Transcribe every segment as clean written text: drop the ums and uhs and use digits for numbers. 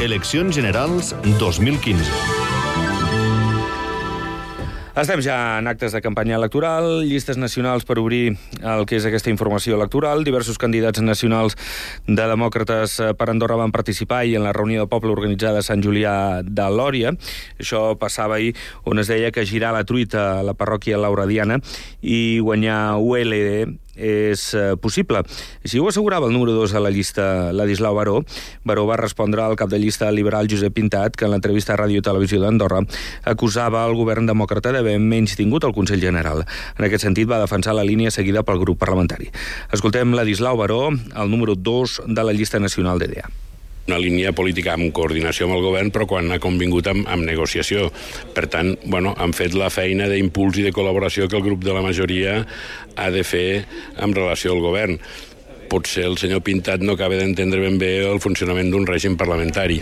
Eleccions Generals 2015. Estem ja en actes de campanya electoral, llistes nacionals per obrir el que és aquesta informació electoral. Diversos candidats nacionals de demòcrates per Andorra van participar ahir en la reunió de poble organitzada a Sant Julià de Lòria. Això passava ahir on es deia que girar la truita a la parròquia Lauradiana i guanyar ULD és possible. Si ho assegurava el número 2 a la llista, Ladislau Baró. Baró va respondre al cap de llista liberal Josep Pintat, que en l'entrevista a Ràdio i Televisió d'Andorra acusava el govern demòcrata d'haver menystingut el Consell General. En aquest sentit, va defensar la línia seguida pel grup parlamentari. Escoltem Ladislau Baró, el número 2 de la llista nacional d'EDA. Una línia política amb coordinació amb el govern, però quan ha convingut amb negociació. Per tant, han fet la feina d'impuls i de col·laboració que el grup de la majoria ha de fer en relació al govern. Potser el senyor Pintat no acaba d'entendre ben bé el funcionament d'un règim parlamentari.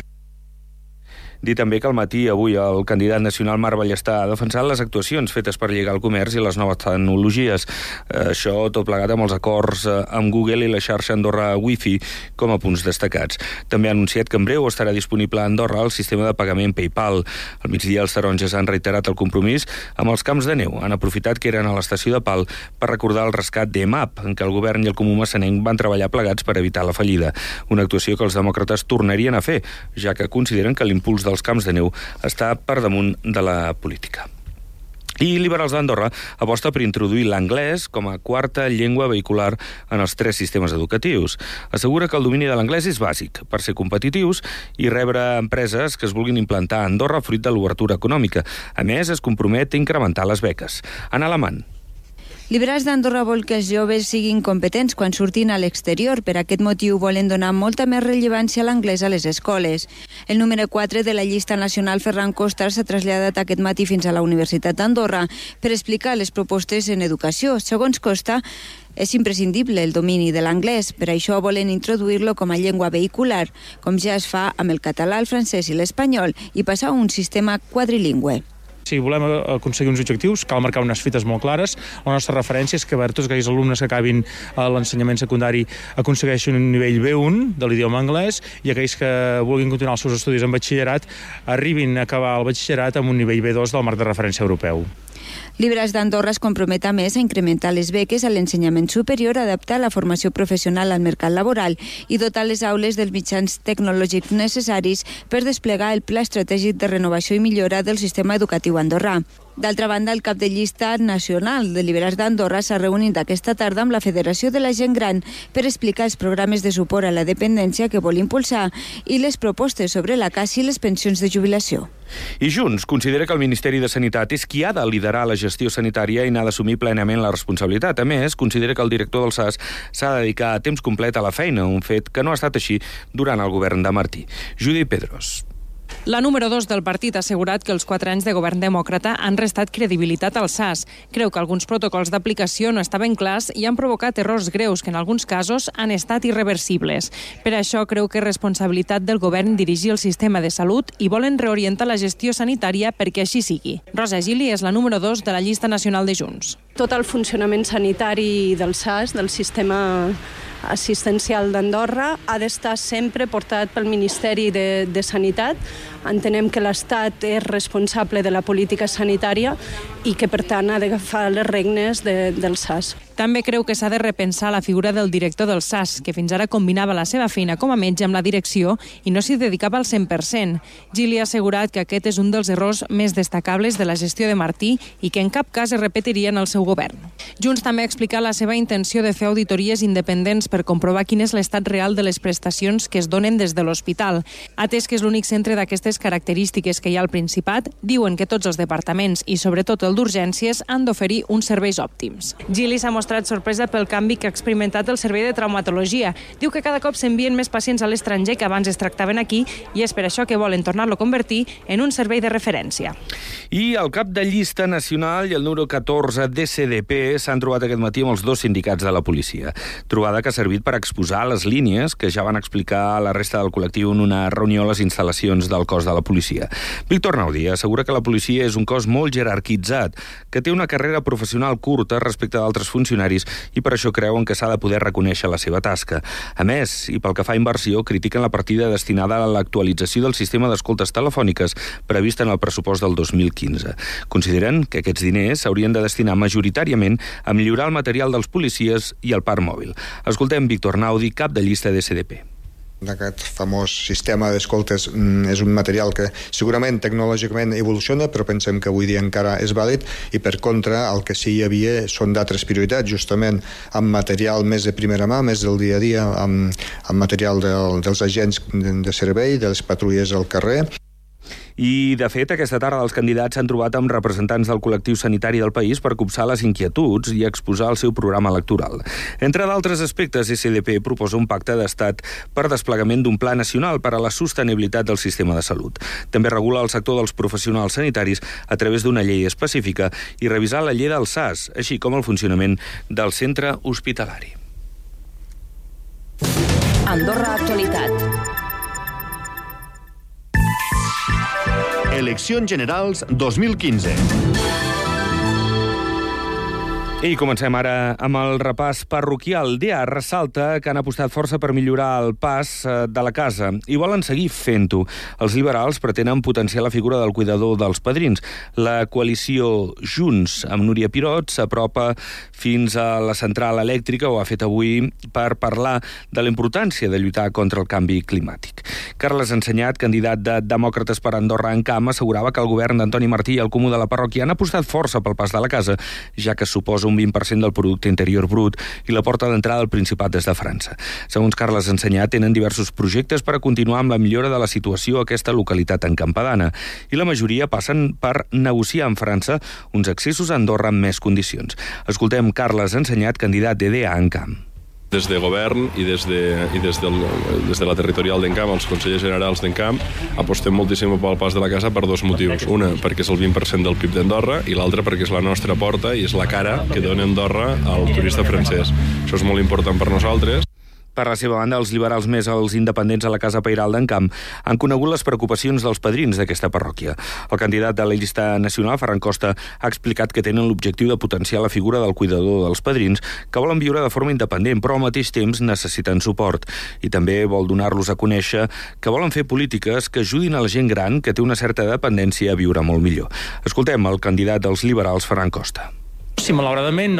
Dir també que al matí avui el candidat nacional Marc Ballester ha defensat les actuacions fetes per lligar el comerç i les noves tecnologies. Això tot plegat amb els acords amb Google i la xarxa Andorra Wi-Fi com a punts destacats. També ha anunciat que en breu estarà disponible a Andorra el sistema de pagament PayPal. Al migdia els taronges han reiterat el compromís amb els camps de neu. Han aprofitat que eren a l'estació de Pal per recordar el rescat d'EMAP, en què el govern i el Comú Massanenc van treballar plegats per evitar la fallida. Una actuació que els demòcrates tornarien a fer, ja que consideren que l'impuls dels camps de neu està per damunt de la política. I Liberals d'Andorra aposta per introduir l'anglès com a quarta llengua vehicular en els 3 sistemes educatius. Assegura que el domini de l'anglès és bàsic per ser competitius i rebre empreses que es vulguin implantar a Andorra fruit de l'obertura econòmica. A més, es compromet a incrementar les beques. Anna Alamant. Liberals d'Andorra vol que els joves siguin competents quan surtin a l'exterior. Per aquest motiu volen donar molta més rellevància a l'anglès a les escoles. El número 4 de la llista nacional, Ferran Costa, s'ha traslladat aquest matí fins a la Universitat d'Andorra per explicar les propostes en educació. Segons Costa, és imprescindible el domini de l'anglès. Per això volen introduir-lo com a llengua vehicular, com ja es fa amb el català, el francès i l'espanyol, i passar a un sistema quadrilingüe. Si volem aconseguir uns objectius, cal marcar unes fites molt clares. La nostra referència és que tots aquells alumnes que acabin l'ensenyament secundari aconsegueixin un nivell B1 de l'idioma anglès i aquells que vulguin continuar els seus estudis en batxillerat arribin a acabar el batxillerat amb un nivell B2 del marc de referència europeu. Liberals d'Andorra es compromet a més a incrementar les beques a l'ensenyament superior, adaptar la formació professional al mercat laboral i dotar les aules dels mitjans tecnològics necessaris per desplegar el Pla Estratègic de Renovació i Millora del Sistema Educatiu andorrà. D'altra banda, el cap de llista nacional de Liberals d'Andorra s'ha reunit aquesta tarda amb la Federació de la Gent Gran per explicar els programes de suport a la dependència que vol impulsar i les propostes sobre la caça i les pensions de jubilació. I Junts considera que el Ministeri de Sanitat és qui ha de liderar la gestió sanitària i n'ha d'assumir plenament la responsabilitat. A més, considera que el director del SAS s'ha de dedicar a temps complet a la feina, un fet que no ha estat així durant el govern de Martí. Judit Pedros. La número 2 del partit ha assegurat que els 4 anys de govern demòcrata han restat credibilitat al SAS. Creu que alguns protocols d'aplicació no estaven clars i han provocat errors greus que en alguns casos han estat irreversibles. Per això creu que és responsabilitat del govern dirigir el sistema de salut i volen reorientar la gestió sanitària perquè així sigui. Rosa Gili és la número 2 de la llista nacional de Junts. Tot el funcionament sanitari del SAS, del sistema assistencial d'Andorra, ha d'estar sempre portat pel Ministeri de Sanitat. Entenem que l'Estat és responsable de la política sanitària i que, per tant, ha d'agafar les regnes del SAS. També creu que s'ha de repensar la figura del director del SAS, que fins ara combinava la seva feina com a metge amb la direcció i no s'hi dedicava al 100%. Gili ha assegurat que aquest és un dels errors més destacables de la gestió de Martí i que en cap cas es repetiria en el seu govern. Junts també ha explicat la seva intenció de fer auditories independents per comprovar quin és l'estat real de les prestacions que es donen des de l'hospital. Atès que és l'únic centre d'aquestes característiques que hi ha al Principat, diuen que tots els departaments i sobretot el d'urgències han d'oferir uns serveis òptims. Gili s'ha mostrat sorpresa pel canvi que ha experimentat el servei de traumatologia. Diu que cada cop s'envien més pacients a l'estranger que abans es tractaven aquí i és per això que volen tornar-lo a convertir en un servei de referència. I el cap de llista nacional i el número 14 d'SDP s'han trobat aquest matí amb els 2 sindicats de la policia. Trobada que ha servit per exposar les línies que ja van explicar a la resta del col·lectiu en una reunió a les instal·lacions del cos de la policia. Víctor Naudi assegura que la policia és un cos molt jerarquitzat, que té una carrera professional curta respecte d'altres funcionaris funcionaris i per això creuen que s'ha de poder reconèixer la seva tasca. A més, i pel que fa a inversió, critiquen la partida destinada a l'actualització del sistema d'escoltes telefòniques prevista en el pressupost del 2015. Consideren que aquests diners s'haurien de destinar majoritàriament a millorar el material dels policies i el parc mòbil. Escoltem Víctor Naudi, cap de llista d'SDP. Aquest famós sistema d'escoltes és un material que segurament tecnològicament evoluciona, però pensem que avui dia encara és vàlid, i per contra el que sí hi havia són d'altres prioritats, justament amb material més de primera mà, més del dia a dia, amb material dels agents de servei, de les patrulles al carrer. I, de fet, aquesta tarda els candidats s'han trobat amb representants del col·lectiu sanitari del país per copsar les inquietuds i exposar el seu programa electoral. Entre d'altres aspectes, SDP proposa un pacte d'estat per desplegament d'un pla nacional per a la sostenibilitat del sistema de salut. També regula el sector dels professionals sanitaris a través d'una llei específica i revisar la llei del SAS, així com el funcionament del centre hospitalari. Andorra Actualitat. Eleccions Generals 2015. I comencem ara amb el repàs parroquial. DEA ressalta que han apostat força per millorar el pas de la casa i volen seguir fent-ho. Els liberals pretenen potenciar la figura del cuidador dels padrins. La coalició Junts amb Núria Pirot s'apropa fins a la central elèctrica, ho ha fet avui, per parlar de la importància de lluitar contra el canvi climàtic. Carles Ensenyat, candidat de Demòcrates per Andorra en Camp, assegurava que el govern d'Antoni Martí i el Comú de la Parròquia han apostat força pel pas de la casa, ja que suposa un 20% del producte interior brut i la porta d'entrada al Principat des de França. Segons Carles Ensenyat, tenen diversos projectes per a continuar amb la millora de la situació a aquesta localitat encampadana i la majoria passen per negociar amb França uns accessos a Andorra amb més condicions. Escoltem Carles Ensenyat, candidat de DEA en Camp. Des de govern i des de la territorial d'Encamp, els consellers generals d'Encamp, apostem moltíssim pel pas de la casa per dos motius. Una, perquè és el 20% del PIB d'Andorra, i l'altra, perquè és la nostra porta i és la cara que dona Andorra al turista francès. Això és molt important per nosaltres. Per la seva banda, els liberals més els independents a la Casa Pairal d'Encamp han conegut les preocupacions dels padrins d'aquesta parròquia. El candidat de la llista nacional, Ferran Costa, ha explicat que tenen l'objectiu de potenciar la figura del cuidador dels padrins, que volen viure de forma independent, però al mateix temps necessiten suport. I també vol donar-los a conèixer que volen fer polítiques que ajudin a la gent gran que té una certa dependència a viure molt millor. Escoltem el candidat dels liberals, Ferran Costa. Si malauradament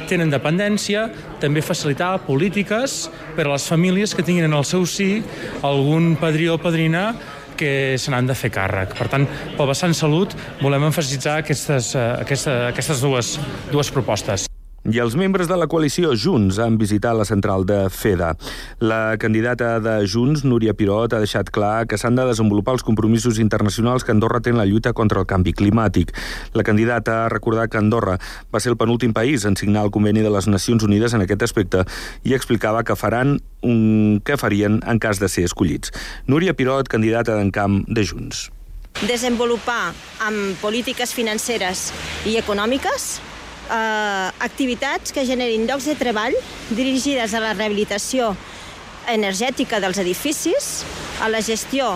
tenen dependència, també facilitar polítiques per a les famílies que tinguin en el seu si algun padrí o padrina que se n'han de fer càrrec. Per tant, pel vessant salut volem emfasitzar aquestes dues propostes. I els membres de la coalició Junts han visitat la central de FEDA. La candidata de Junts, Núria Pirot, ha deixat clar que s'han de desenvolupar els compromisos internacionals que Andorra té en la lluita contra el canvi climàtic. La candidata ha recordat que Andorra va ser el penúltim país en signar el conveni de les Nacions Unides en aquest aspecte i explicava que farien en cas de ser escollits. Núria Pirot, candidata d'Encamp de Junts. Desenvolupar amb polítiques financeres i econòmiques activitats que generin llocs de treball dirigides a la rehabilitació energètica dels edificis, a la gestió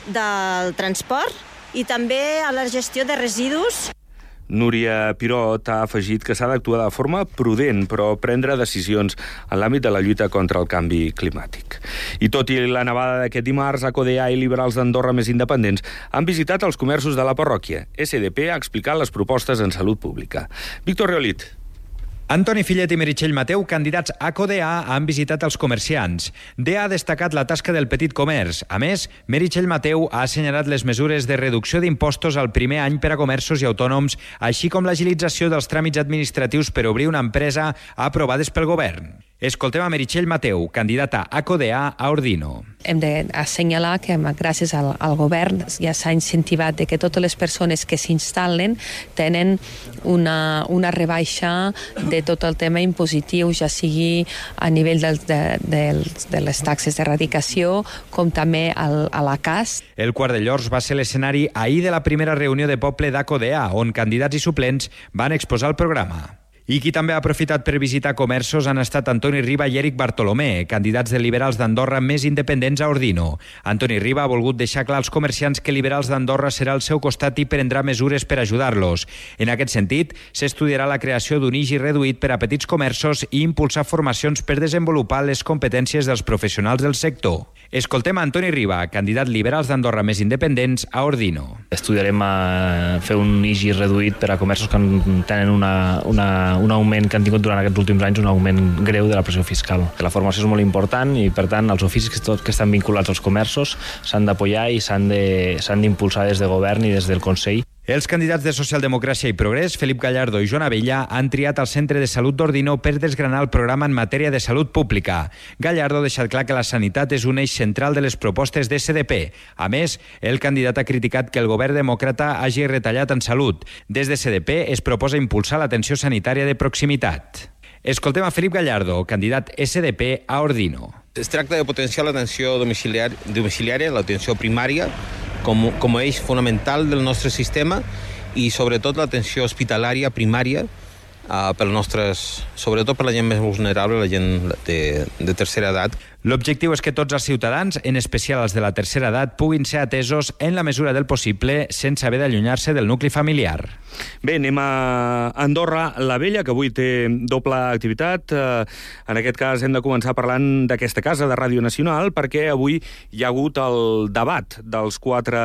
del transport i també a la gestió de residus. Núria Pirot ha afegit que s'ha d'actuar de forma prudent, però prendre decisions en l'àmbit de la lluita contra el canvi climàtic. I tot i la nevada d'aquest dimarts, ACODEA i liberals d'Andorra més independents han visitat els comerços de la parròquia. SDP ha explicat les propostes en salut pública. Víctor Reolit. Antoni Fillet i Meritxell Mateu, candidats a CODEA, han visitat els comerciants. DEA ha destacat la tasca del petit comerç. A més, Meritxell Mateu ha assenyalat les mesures de reducció d'impostos al primer any per a comerços i autònoms, així com l'agilització dels tràmits administratius per obrir una empresa aprovades pel govern. Escoltem a Meritxell Mateu, candidata a CODEA a Ordino. Hem d'assenyalar que gràcies al govern ja s'ha incentivat que totes les persones que s'instal·len tenen una rebaixa de tot el tema impositiu, ja sigui a nivell de les taxes d'erradicació com també a la CAS. El Quart de Llors va ser l'escenari ahir de la primera reunió de poble d'ACODEA, on candidats i suplents van exposar el programa. I qui també ha aprofitat per visitar comerços han estat Antoni Riba i Eric Bartolomé, candidats de Liberals d'Andorra més independents a Ordino. Antoni Riba ha volgut deixar clar als comerciants que Liberals d'Andorra serà al seu costat i prendrà mesures per ajudar-los. En aquest sentit, s'estudiarà la creació d'un IGI reduït per a petits comerços i impulsar formacions per desenvolupar les competències dels professionals del sector. Escoltem a Antoni Riba, candidat Liberals d'Andorra més independents a Ordino. Estudiarem fer un IGI reduït per a comerços que tenen un augment que han tingut durant aquests últims anys, un augment greu de la pressió fiscal. La formació és molt important i, per tant, els oficis que estan vinculats als comerços s'han d'apoyar i s'han d'impulsar des de govern i des del Consell. Els candidats de Socialdemocràcia i Progrés, Felip Gallardo i Joan Abella, han triat el Centre de Salut d'Ordino per desgranar el programa en matèria de salut pública. Gallardo ha deixat clar que la sanitat és un eix central de les propostes de SDP. A més, el candidat ha criticat que el govern demòcrata hagi retallat en salut. Des de SDP es proposa impulsar l'atenció sanitària de proximitat. Escoltem a Felip Gallardo, candidat SDP a Ordino. Es tracta de potenciar l'atenció domiciliària, l'atenció primària, com a eix fonamental del nostre sistema i sobretot l'atenció hospitalària primària sobretot per la gent més vulnerable, la gent de tercera edat. L'objectiu és que tots els ciutadans, en especial els de la tercera edat, puguin ser atesos en la mesura del possible sense haver d'allunyar-se del nucli familiar. Bé, anem a Andorra la Vella, que avui té doble activitat. En aquest cas hem de començar parlant d'aquesta casa de Ràdio Nacional, perquè avui hi ha hagut el debat dels 4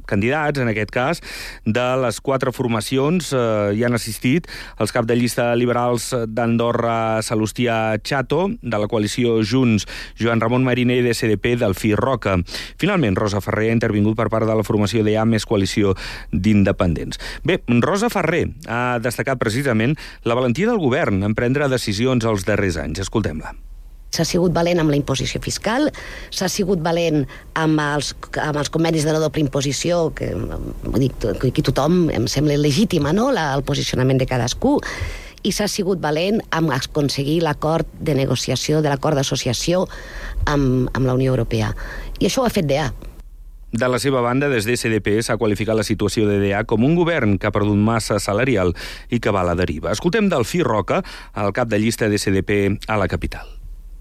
candidats, en aquest cas, de les 4 formacions. Hi han assistit els cap de llista liberals d'Andorra, Salustià Chato, de la coalició Junts, Joan Ramon Mariner, de SDP, Delfí Roca. Finalment, Rosa Ferrer ha intervingut per part de la formació d'EA més coalició d'independents. Bé, Rosa Ferrer ha destacat precisament la valentia del govern en prendre decisions els darrers anys. Escoltem-la. S'ha sigut valent amb la imposició fiscal, s'ha sigut valent amb els convenis de la doble imposició, que aquí tothom em sembla legítima, no?, el posicionament de cadascú, i s'ha sigut valent amb aconseguir l'acord de negociació, de l'acord d'associació amb la Unió Europea. I això ho ha fet DEA. De la seva banda, des de SDP s'ha qualificat la situació de DEA com un govern que ha perdut massa salarial i que va a la deriva. Escoltem Delfí Roca, el cap de llista de SDP a la capital.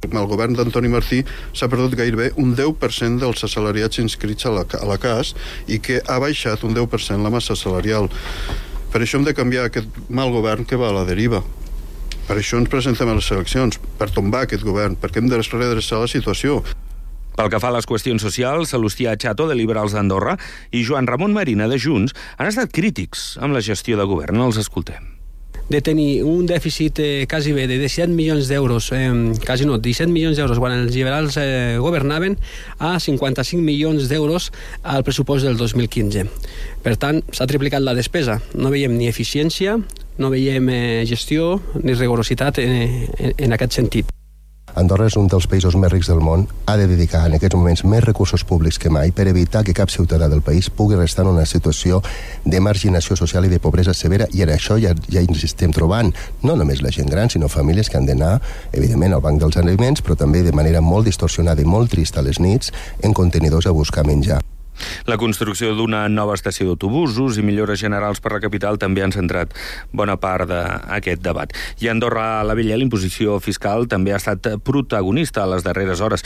Amb el govern d'Antoni Martí s'ha perdut gairebé un 10% dels assalariats inscrits a la CAS i que ha baixat un 10% la massa salarial. Per això hem de canviar aquest mal govern que va a la deriva. Per això ens presentem a les eleccions, per tombar aquest govern, perquè hem de redreçar la situació. Pel que fa a les qüestions socials, Salustià Chato, de Liberals d'Andorra, i Joan Ramon Marina, de Junts, han estat crítics amb la gestió de govern. Els escoltem. De tenir un dèficit quasi bé de 17 milions d'euros, 17 milions d'euros quan els liberals governaven, a 55 milions d'euros al pressupost del 2015. Per tant, s'ha triplicat la despesa. No veiem ni eficiència, no veiem gestió ni rigorositat en aquest sentit. Andorra és un dels països més rics del món, ha de dedicar en aquests moments més recursos públics que mai per evitar que cap ciutadà del país pugui restar en una situació de marginació social i de pobresa severa, i en això ja ens estem trobant no només la gent gran, sinó famílies que han d'anar, evidentment, al banc dels aliments, però també de manera molt distorsionada i molt trista a les nits en contenidors a buscar menjar. La construcció d'una nova estació d'autobusos i millores generals per la capital també han centrat bona part d'aquest debat. I a Andorra la Vella, l'imposició fiscal també ha estat protagonista a les darreres hores.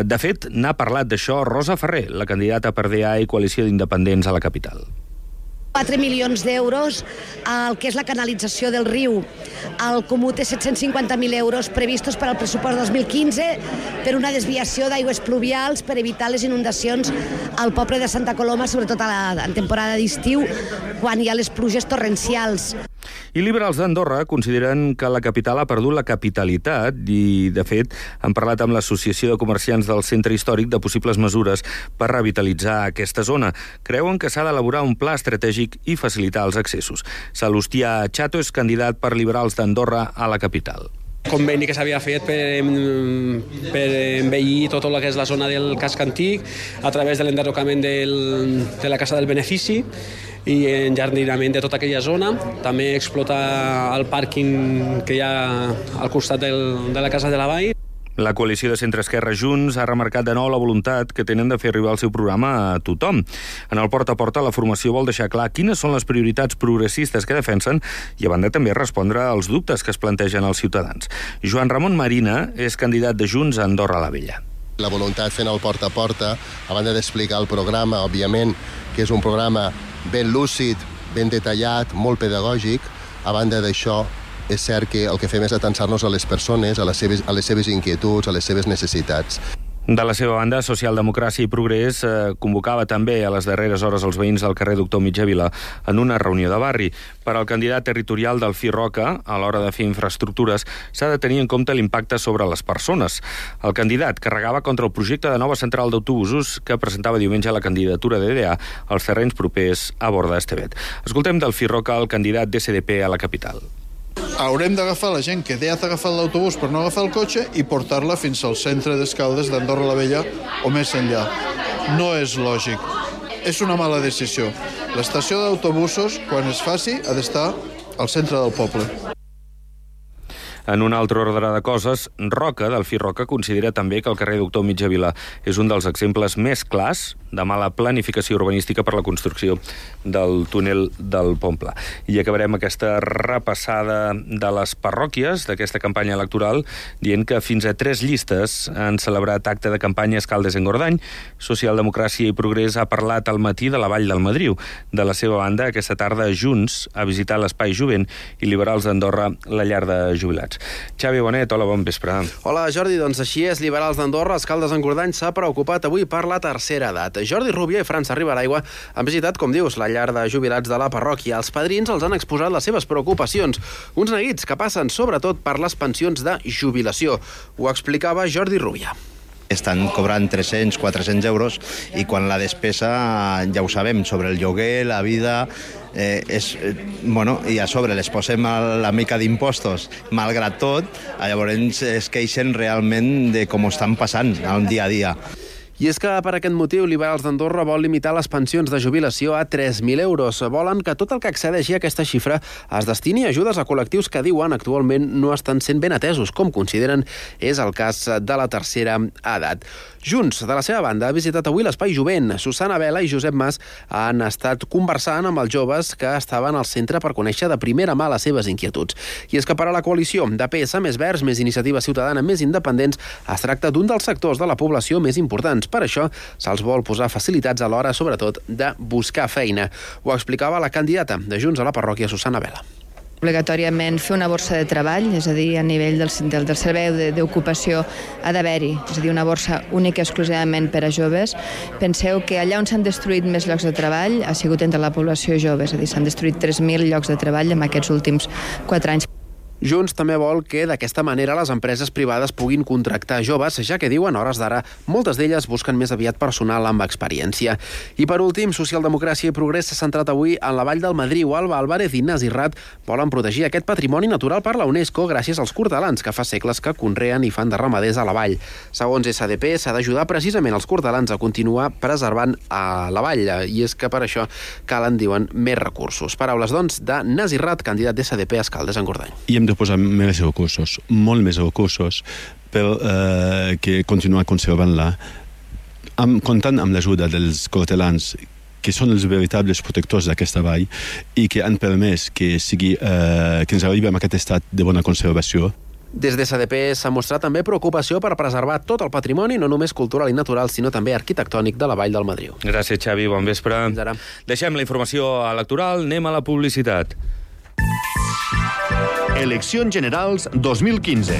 De fet, n'ha parlat d'això Rosa Ferrer, la candidata per DEA i coalició d'independents a la capital. 4 milions d'euros al que és la canalització del riu. El Comú té 750.000 euros previstos per al pressupost 2015 per una desviació d'aigües pluvials per evitar les inundacions al poble de Santa Coloma, sobretot en temporada d'estiu, quan hi ha les pluges torrencials. I Liberals d'Andorra consideren que la capital ha perdut la capitalitat i, de fet, han parlat amb l'Associació de Comerciants del Centre Històric de possibles mesures per revitalitzar aquesta zona. Creuen que s'ha d'elaborar un pla estratègic i facilitar els accessos. Salustià Chato és candidat per Liberals d'Andorra a la capital. Conveni que s'havia fet per embellir tot el que és la zona del casc antic a través de l'enderrocament de la Casa del Benefici i enjardinament de tota aquella zona. També explotar el pàrquing que hi ha al costat de la Casa de la Vall. La coalició de centre-esquerra Junts ha remarcat de nou la voluntat que tenen de fer arribar el seu programa a tothom. En el porta a porta, la formació vol deixar clar quines són les prioritats progressistes que defensen i, a banda, també respondre als dubtes que es plantegen els ciutadans. Joan Ramon Marina és candidat de Junts a Andorra la Vella. La voluntat fent el porta a porta, a banda d'explicar el programa, òbviament, que és un programa ben lúcid, ben detallat, molt pedagògic, a banda d'això, és cert que el que fem és atansar-nos a les persones, a les seves inquietuds, a les seves necessitats. De la seva banda, Socialdemocràcia i Progrés convocava també a les darreres hores els veïns del carrer Doctor Mitjavila en una reunió de barri. Per al candidat territorial del FI-ROCA, a l'hora de fer infraestructures, s'ha de tenir en compte l'impacte sobre les persones. El candidat carregava contra el projecte de nova central d'autobusos que presentava diumenge la candidatura d'EDA als terrenys propers a Borda d'Estevet. Escoltem del FI-ROCA el candidat d'SDP a la capital. Haurem d'agafar la gent que ja ha agafat l'autobús per no agafar el cotxe i portar-la fins al centre d'Escaldes d'Andorra la Vella o més enllà. No és lògic. És una mala decisió. L'estació d'autobusos, quan es faci, ha d'estar al centre del poble. En un altre ordre de coses, Roca, del FI-ROCA, considera també que el carrer Doctor Mitjavila és un dels exemples més clars de mala planificació urbanística per la construcció del túnel del Pomple. I acabarem aquesta repassada de les parròquies d'aquesta campanya electoral dient que fins a 3 llistes han celebrat acte de campanya a Escaldes-Engordany. Socialdemocràcia i Progrés ha parlat al matí de la Vall del Madriu. De la seva banda, aquesta tarda, Junts ha visitat l'Espai Jovent i Liberals d'Andorra, la llar de jubilats. Xavi Bonet, hola, bon vespre. Hola, Jordi, doncs així és. Liberals d'Andorra, Escaldes-Engordany s'ha preocupat avui per la tercera edat. Jordi Rubio i França Riberaigua han visitat, com dius, la llar de jubilats de la parròquia. Els padrins els han exposat les seves preocupacions, uns neguits que passen sobretot per les pensions de jubilació. Ho explicava Jordi Rubio. Estan cobrant 300, 400 euros i quan la despesa, ja ho sabem, sobre el lloguer, la vida, i a sobre les posem la mica d'impostos, malgrat tot, llavors es queixen realment de com ho estan passant al dia a dia. I és que per aquest motiu Liberals d'Andorra vol limitar les pensions de jubilació a 3.000 euros. Volen que tot el que accedeixi a aquesta xifra es destini a ajudes a col·lectius que diuen actualment no estan sent ben atesos, com consideren és el cas de la tercera edat. Junts, de la seva banda, ha visitat avui l'Espai Jovent. Susana Vela i Josep Mas han estat conversant amb els joves que estaven al centre per conèixer de primera mà les seves inquietuds. I és que per a la coalició de PS, Més Verds, Més Iniciativa Ciutadana, Més Independents, es tracta d'un dels sectors de la població més importants. Per això se'ls vol posar facilitats a l'hora, sobretot, de buscar feina. Ho explicava la candidata de Junts a la parròquia, Susana Vela. Obligatòriament fer una borsa de treball, és a dir, a nivell del servei d'ocupació ha d'haver-hi, és a dir, una borsa única exclusivament per a joves. Penseu que allà on s'han destruït més llocs de treball ha sigut entre la població jove, és a dir, s'han destruït 3.000 llocs de treball en aquests últims 4 anys. Junts també vol que d'aquesta manera les empreses privades puguin contractar joves, ja que diuen, a hores d'ara, moltes d'elles busquen més aviat personal amb experiència. I per últim, Socialdemocràcia i Progrés s'ha centrat avui en la Vall del Madriu. Alba Álvarez i Ignasi Rat volen protegir aquest patrimoni natural per la UNESCO gràcies als cortalans que fa segles que conreen i fan de ramaders a la vall. Segons SDP, s'ha d'ajudar precisament els cortalans a continuar preservant a la vall, i és que per això calen, diuen, més recursos. Paraules, doncs, de Ignasi Rat, candidat d'SDP a Escaldes-Engordany. I hem de posar més recursos, molt més recursos, per continuar conservant-la, comptant amb l'ajuda dels cortelans, que són els veritables protectors d'aquesta vall i que han permès que ens arribem a aquest estat de bona conservació. Des de SDP s'ha mostrat també preocupació per preservar tot el patrimoni, no només cultural i natural, sinó també arquitectònic de la Vall del Madriu. Gràcies, Xavi. Bon vespre. Fins ara. Deixem la informació electoral, anem a la publicitat. Eleccions Generals 2015.